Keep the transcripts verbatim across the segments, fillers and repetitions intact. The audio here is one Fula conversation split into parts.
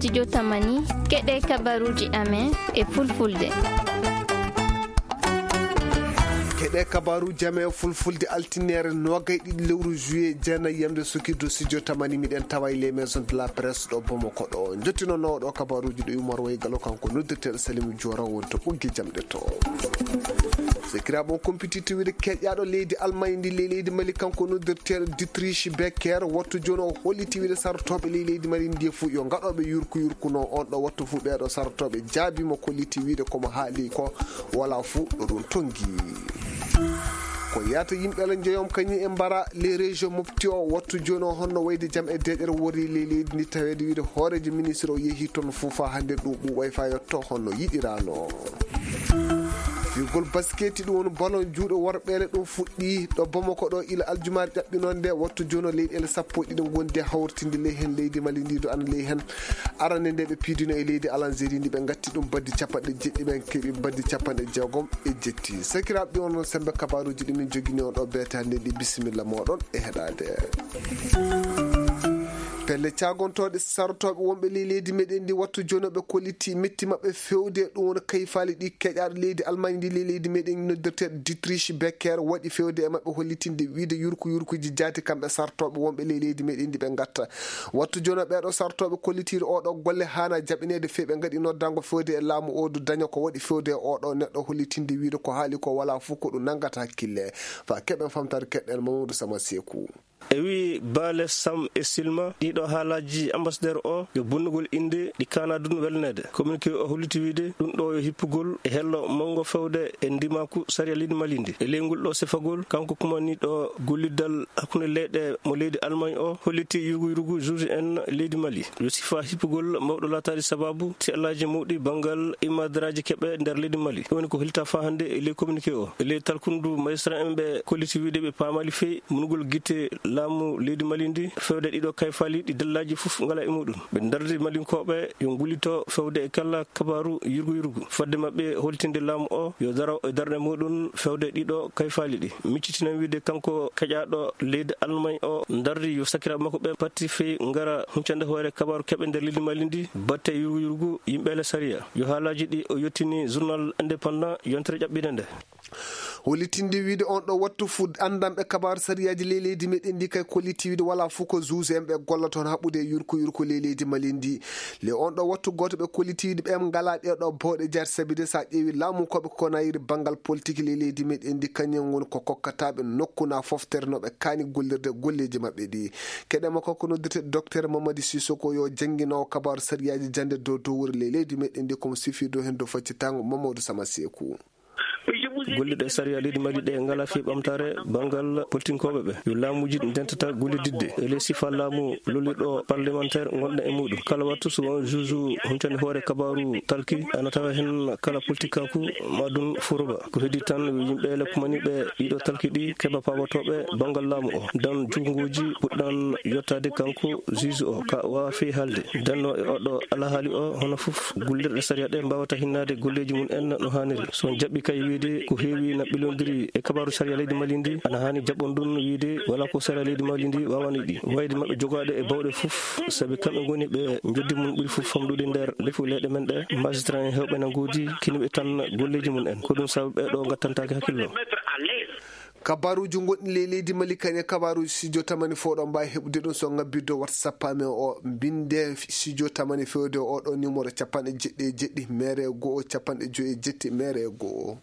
Studio Tamani, keɗe kabaruuji amen e fulfulde. Keɗe kabaruuji amen e fulfulde, altineere noogay ɗiɗi lewru juillet, jeenayi yamde sukirdu Studio Tamani, miɗen tawa e les maisons de la presse ɗo Bamako ɗo. Jottinoowo ɗo kabaruuji ɗo Umar Way Galo, kanko noddirteeɗo Salimu Joora, woni to ɓoggi jamɗe to. Sakiraaɓe, on kumpitiiɗo wiide keƴaaɗo leydi Almaañ ndi ley leydi Mali, kanko noddirteeɗo Dietrich Becker, wattu jooni o holliti wiide sarotooɓe ley leydi Mali ndi fof yo ngaɗooɓe yurku yurku no on ɗo wattu fof. Ɓeeɗo sarotooɓe jaabiima, kolliti wiide ko mo haali ko wala fof ɗo ɗum tonngi. Ko yahata yimɓe ala njeyoom kañum e mbara les régions mofti o wattu jooni o, honno wayde jam e deeƴere wori ley leydi ndi, taweede wiide hooreejo ministre o yehi toon fof faa hannde ɗum ɓuuɓay faa yetto honno yiɗiraano. Fiyugol basketi, ɗum woni ballon juuɗe worɓeele, ɗum fuɗɗii ɗo Bamako ɗo ila aljumaare ƴaɓɓinoonde. Wattu jooni o leyɗeele sappo e ɗiɗi ngondi hawritinde ley heen leydi Mali ndi ɗo ana ley heen arande nde ɓe piidino e leydi Alanzeri ndi, ɓe ngatti ɗum baddi capanɗe jeɗɗi, ɓe keɓi baddi capanɗe jeegom e jetti. Sakiraaɓe, ɗi on noon sembe kabaruuji ɗi min jogini on ɗo beete hannde ndi. Bisimilla mooɗon e heɗaade. Pelle caagontooɗe sarotooɓe wonɓe ley leydi meɗen ndi wattu jooni ɓe kolliti metti maɓɓe fewde ɗum woni kayfaali ɗi keƴaaɗo leydi Almaañ ndi ley leydi meɗen noddirteeɗo Dietrich Becker waɗi fewde e maɓɓe hollitinde wiide yurku yurkuuji jaati kamɓe sarotooɓe wonɓe ley leydi meɗen ndi ɓe ngatta. Wattu jooni ɓeeɗo sarotooɓe kollitiiɗo oɗo golle haana jaɓineede fee ɓe ngaɗi noddango fewde e laamu o du daña ko waɗi fewde e oɗo neɗɗo hollitinde wiide ko haali ko wala fof ko ɗum nanngata hakkille. Fa keɓen famtaade keɗɗen Mamadou Sama Seeku. E wii Baale Sam e Silma, ɗiɗo haalaaji ambassadeur o yo bonnugol innde ɗi kaana dun welneede. Communiqué o holliti wiide ɗum ɗo yo hippugol e hello manngo fewde e ndimaaku sariya leydi Mali ndi. E ley ngol ɗo sifagol, kanko kumaniiɗo golliddal hakkunde leyɗe mo leydi Almaañ o holliti yurgu yurgu juge en leydi Mali yo sifa hippugol mawɗo laataade sababu tiallaaji mawɗi banngal imadaraaji keɓe nder leydi Mali. Ɗum woni ko hollita faa hannde e ley communiqué o. E ley talkundu magistrat en ɓe kolliti wiide ɓe paamaali fey munugol gite laamu leydi Mali ndi fewde ɗiɗo kayfaali ɗi dallaaji fof ngala e muɗum. Ɓe ndardi Malinkooɓe yo ngullito fewde e kala kabaaru yurgu yurgu. Fodde maɓɓe holtinde laamu o yo daro e darɗe muɗum fewde ɗiɗo kayfaali ɗi. Miccitinan wiide kanko keƴaaɗo leydi Almaañ o ndardi yo sakiraaɓe makko ɓe patti fey ngara huncande hoore kabaaru keɓe nder leydi Mali ndi batte yurgu yurgu yimɓe ele sariya. Yo haalaaji ɗi o yettini journal Indépendant yontere ƴaɓɓinde nde. Hollitinde wiide on ɗo wattu fuu anndanɓe kabaaru sariyaaji ley leydi meɗen ndi kay kolliti wiide wala fof ko juge en ɓe golla toon haɓude e yurko yurko ley leydi Mali ndi. Le on ɗo wattu gooto ɓe kolliti wiide ɓe ngalaa ɗee ɗo bawɗe jaati sabi de so a ƴeewi laamu ko ɓe konayiri banngal politique ley leydi meɗen ndi kañum woni ko kokkataaɓe nokku na foftere no ɓe kaani gollirde golleeji maɓɓe ɗi. Keɗe makko ko noddete docteur Mamadi Sissoko yo jannginoowo kabaaru sariyaaji jannde dow dowri ley leydi meɗen ndi komo sifi dow heen dow faccitango Mamadou Sama Seeku. Gollirɗe sariya leydi Mali ɗe ngalaa fii ɓamtaare banngal politinkooɓe ɓe. Yo laamuuji ndentata gollididde e ley sifa laamu lollirɗo parlementaire ngonɗo e muɗum. Kala wattu so won juge huncani hoore kabaaru talki, ana tawa heen kala politikaaku ma ɗum furoba. Ko heddii tan yo yimɓe ele kumaniiɓe ɗiɗo talki ɗi keɓa paabotooɓe banngal laamu o. Dan junnguuji puɗɗan yottaade kanko juge o ka waawa fii haalde. Dannoo e oɗo alhaali o hono fof gollirɗe sariya ɗe mbaawata hinnaade golleeji mum en no haaniri. So on jaɓɓi kay wiide ko heewi na ɓilondiri e kabaaru sariya leydi Mali ndi, ana haani jaɓɓon ɗum wiide wala ko sariya leydi Mali ndi waawani ɗi. Wayde maɓɓe jogaaɗo e bawɗe fof, sabi kamɓe ngoni ɓe njoddi mum ɓuri fof famɗude nder lefu leyɗe men ɗe. Magistrat en heewɓe na ngoodi kiniɓe tan golleeji mum en. Ko ɗum sababu ɓe ɗo ngattantaake hakkillo. Kabaruuji gonɗi ley leydi Mali kañe kabaruuji studio tamani fof ɗo mbaawi heɓude ɗum so ngabbirde WhatsApp amen o, mbinde studio tamani fewde o ɗo numéro capanɗe jeɗɗi e jeɗɗi mere go'o capanɗe joyi e jetti mere go'o.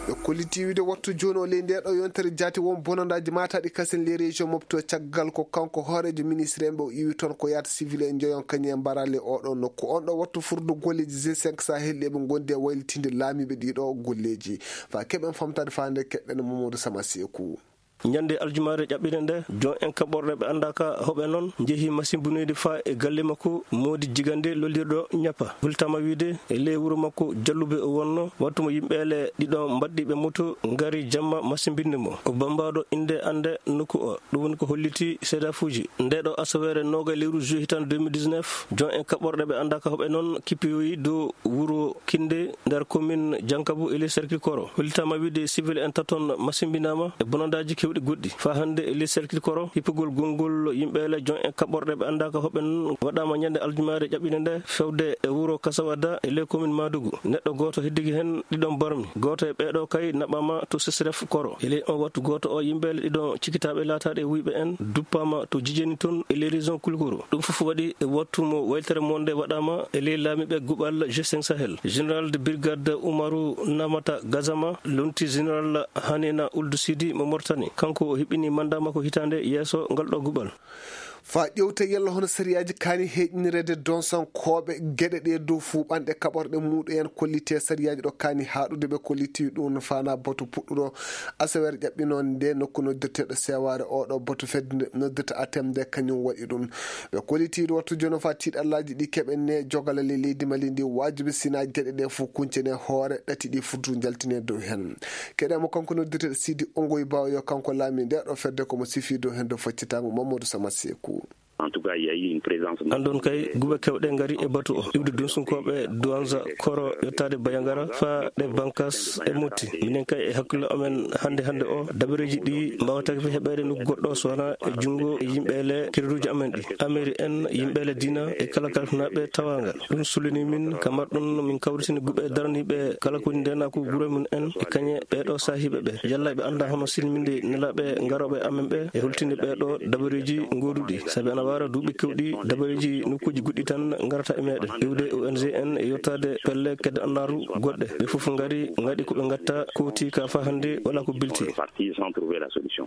Ɓe kolliti wiide wattu jooni o ley nde ɗo yontere jaati won bonandaaji mataɗi kasen ley région mofto caggal ko kanko hooreejo ministre en ɓe o iwi toon ko yaata civil en njeyon kañum e mbarale oɗo nokku on ɗo wattu furdu golleeji G cinq Sahel ɗi ɓe gondi e waylitinde laamiiɓe ɗiɗo golleeji. Fa keɓen famtaade faande keɓɓen Mamadou Sama Seeku. Ñande aljumaare ƴaɓɓire nde, jon en kaɓorɗe ɓe anndaaka hoɓe noon njehi masimbinoyde faa e galle makko Moodi Jigande lollirɗo Ñappa. Hultama wiide e ley wuro makko Jallube o wonno, wattu mo yimɓeele ɗiɗo mbaɗɗi ɓe moto ngari jamma masimbinde mo. O bammbaaɗo innde annde nokku o. Ɗum woni ko holliti seedaafuuji. Nde ɗo asaweere noogay lewru juillet hitaande deux mille dix-neuf, jon en kaɓorɗe ɓe anndaaka hoɓe noon kippiyoyi dow wuro Kinde nder commune Jankabu e ley cercle Koro. Hollitaama wiide civil en taton masimbinaama e bonandaaji Ɗuuɗi goɗɗi. Faa hannde e ley cercle Koro, hippugol gonngol yimɓe le jon en kaɓorɗe ɓe anndaaka hoɓɓe non waɗaama ñande aljumaare ƴaɓɓinde nde fewde e wuro Kasawada e ley commune Madugu. Neɗɗo gooto heddigi heen, ɗiɗon barmi. Gooto e ɓee ɗoo kay naɓaama to Sesref Koro. E ley on wattu gooto o, yimɓe le ɗiɗon cikitaaɓe laataaɗe wuyɓe en duppaama to Jijeni toon e ley région Kulukoro. Ɗum fof waɗi e wattu mo waylitere mon nde waɗaama e ley laamiiɓe guɓal G cinq Sahel. Général de brigade Umaru Namata Gazama lonti général Hanina Uldu Sidi mo Mauritanie. Kanko o hiɓɓini manda makko hitaande yeeso ngal ɗo guɓal. Faa ƴewta yalla hono sariyaaji kaani heeƴnireede donsankooɓe geɗe ɗe dow fuuɓanɗe kaɓorɗe muuɗum en kolliti e sariyaaji ɗo kaani haaɗude ɓe kolliti ɗum faana batu puɗɗuɗo asaweere ƴaɓɓinoonde nde nokku noddirteeɗo seewaare. Oɗo batu fedde nde noddirta atem nde kañum waɗi ɗum. Ɓe kolliti ɗo wattu jono faa tiiɗallaaji ɗi keɓen ne jogala le leydi Mali ndi waajibi sina geɗe ɗe fof kuncene hoore ɗati ɗi futu njaltine dow heen. Keɗe mo kanko noddirteeɗo Sidi Ongoy Bawo yo kanko laami nde ɗo fedde ko mo sifi dow heen dow faccitango Mamadou Sama Seku. En tout cas, il y a eu une présence. Anndon kay, guɓe kewɗe ngari e batu o. Iwde dunsunkooɓe Douanza Koro yottaade Bayangara faa ɗe Bankas e Motti. Minen kay e hakkille amen hannde hannde o, dabareeji ɗi mbaawataake fe heɓeede nokku goɗɗo so wonaa e junngo e yimɓe le kereruuji amen ɗi. Ameri en, yimɓe le diina e kala kalfinaaɓe tawaangal. Ɗum sullini min ka marɗum min kawritini guɓe daraniiɓe kala ko woni ndeenaaku gure mum en e kañe ɓee ɗoo saahiiɓe ɓe. Yalla ɓe annda hono silminde nelaaɓe ngarooɓe amen ɓe e holtinde ɓee ɗoo dabareeji gooduɗi. Sabi ana waara duuɓi kewɗi dabareeji nokkuuji goɗɗi tan ngarata e meɗen. Iwde O N G en e yottaade pelle kedde annaaru goɗɗe. Ɓe fof ngari ngaɗi ko ɓe ngatta kooti ka faa hannde wala ko bilti. Parti sans trouver la solution.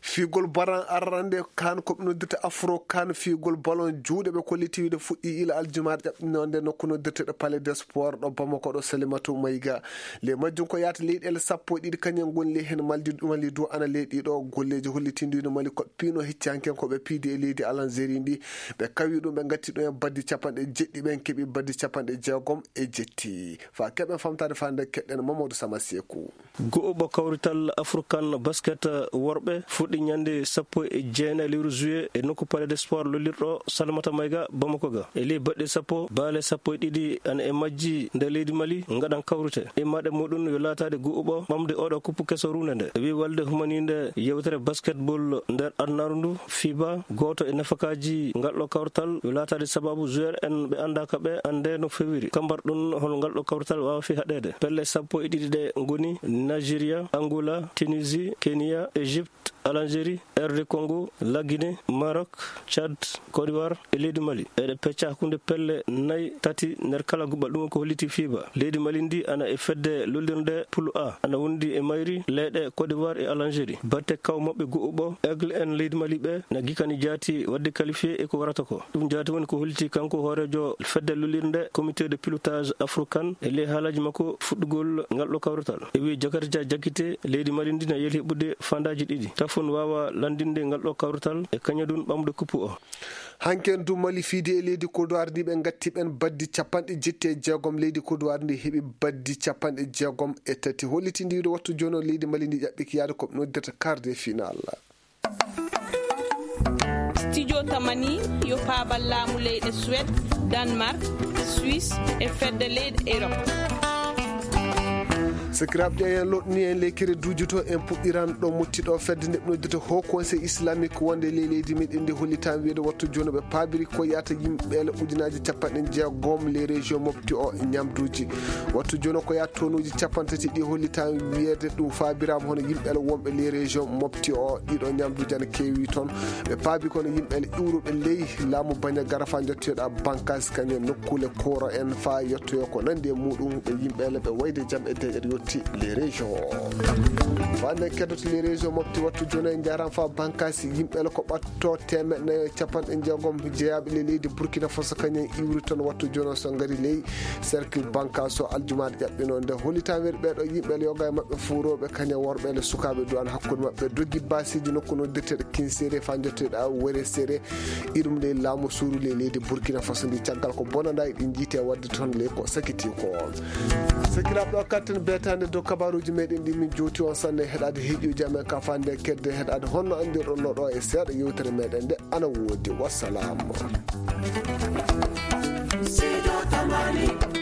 Fiigol baran arrande kan ko ɓe noddirta Afro kan, fiigol ballon juuɗe ɓe kolliti wiide fuɗɗi ila aljumaare ƴaɓɓinonde nokku noddirteɗo Palais des Sports ɗo Bamako ɗo Salimatu Mayga. Le majjum ko yaata leyɗeele sappo e ɗiɗi kañum ngoni ley heen Mali, Mali du ana ley ɗiɗo golleeji hollitindiino Mali ko piino hecci hanken ko ɓe piidi e leydi Algérie ndi. Ɓe kawi ɗum, ɓe ngatti ɗum e baddi capanɗe jeɗɗi, ɓen keɓi baddi capanɗe jeegom e jetti. Faa keɓen famtaade faa nde keɗɗen Mamadou Sama Seku. Go'oɓo kawrital African Basket worɓe fuɗɗi ñande sappo e jeenayi lewru juillet e nokku Palais des Sports lollirɗo Salimata Mayga Bamako ga. E ley baɗɗe sappo, baale sappo e ɗiɗi ana e majji nder leydi Mali ngaɗan kawrite. Immaaɗe muɗum yo laataade go'oɓo ɓamde oɗo kuppu keso ruunde nde. E wii walde humaniinde yewtere basketball nder adunaaru ndu, fiba, gooto e nafakaaji ngal ɗo kawrital yo laataade sababu joueur en ɓe anndaaka ɓe annde no fewiri. Kambar ɗum hol ngal ɗo kawrital waawa fi haɗeede. Pelle sappo e ɗiɗi ɗe ngoni Nigeria, Angola, Tunisie, Kenya, Egypte, Algérie, R D Congo, La Guinée, Maroc, Tchad, Côte d'Ivoire e leydi Mali. Eɗe pecca hakkunde pelle nayi, tati nder kala guɓal. Ɗum ko holliti fiba. Leydi Mali ndi ana e fedde lollirnde Pool A, ana wondi e mayri leyɗe Côte d'Ivoire e Algérie. Batte kaw maɓɓe go'oɓo Aigle en leydi Mali ɓe na gikani jaati wadde qualifié e ko warata ko. Ɗum jaati woni ko holliti kanko hooreejo fedde lollirnde comité de pilotage Afro kan e ley haalaaji makko fuɗɗugol ngal ɗo kawrital. E wii Jakarta Jakite, leydi Mali ndi na yeeli heɓude fandaaji ɗiɗi. Tafon waawa lanndinde ngal ɗo kawrital e kañadun ɓamde kuppu o. Hanken du Mali fiidi e leydi Côte d'Ivoire ndi ɓe ngatti ɓen baddi capanɗe jetti e jeegom. Leydi Côte d'Ivoire ndi heɓi baddi capanɗe jeegom e tati. Hollitindiiɗo wattu jono leydi Mali ndi ƴaɓɓiki yaade ko ɓe noddirta quart de finale. Studio Tamani yo paabal laamu leyɗe Suède, Danemark, Suisse e fedde leyɗe Europe. Sakiraaɓe, ƴeewen loɗni en ley kere duuji to en puɗɗiran ɗo motti ɗo fedde nde ɓe noddita Haut Conseil Islamique wonde ley leydi meɗen ndi hollitan wiide wattu jono ɓe paabiri ko yaata yimɓe le ujunaaji capanɗe jeegom ley région mofti o ñamduuji. Wattu jono ko yaata tonuuji capanɗe tati ɗi hollitan wiyeede ɗum faabiraama hono yimɓe le wonɓe ley région mofti o ɗiɗo ñamduuji ana keewi toon. Ɓe paabi kono yimɓe le iwruɓe ley laamu baña gara faa jottoyoɗa bankaasi kañum nokkuule kooro en faa yottoyo ko nandi e muɗum ɓe yimɓe le ɓe wayde jam e deƴƴere yotti les régions. Faa nde keddoto les régions mofti wattu jono e njaran faa bankaasi yimɓe le ko ɓatto teemeɗɗe nayo e capanɗe jeegom jeyaaɓe le leydi Burkina Faso kañum iwri toon wattu jono so ngari ley cercle bankaasi o aljumaare ƴaɓɓino nde hollitan weri ɓeeɗo yimɓe le yoga e maɓɓe fuurooɓe kañum worɓe le sukaaɓe duwan hakkunde maɓɓe dogi baasiiji nokku noddirteeɗo Kinsere faa jottoyoɗa Were Sere. Iɗum ley laamu suuru ley leydi Burkina Faso ndi caggal ko bonanda eɗen jiite wadde toon ley ko sakiti ko. Sakiraaɓe ɗo katten beetande dow kabaruuji meɗen ɗi min jowti on sanne heɗaade heeƴuuji amen ka fande kedde heɗaade honno anndirɗon no ɗo e seeɗa yewtere meɗen nde ana woodi. Wassalam. Sido Tamani.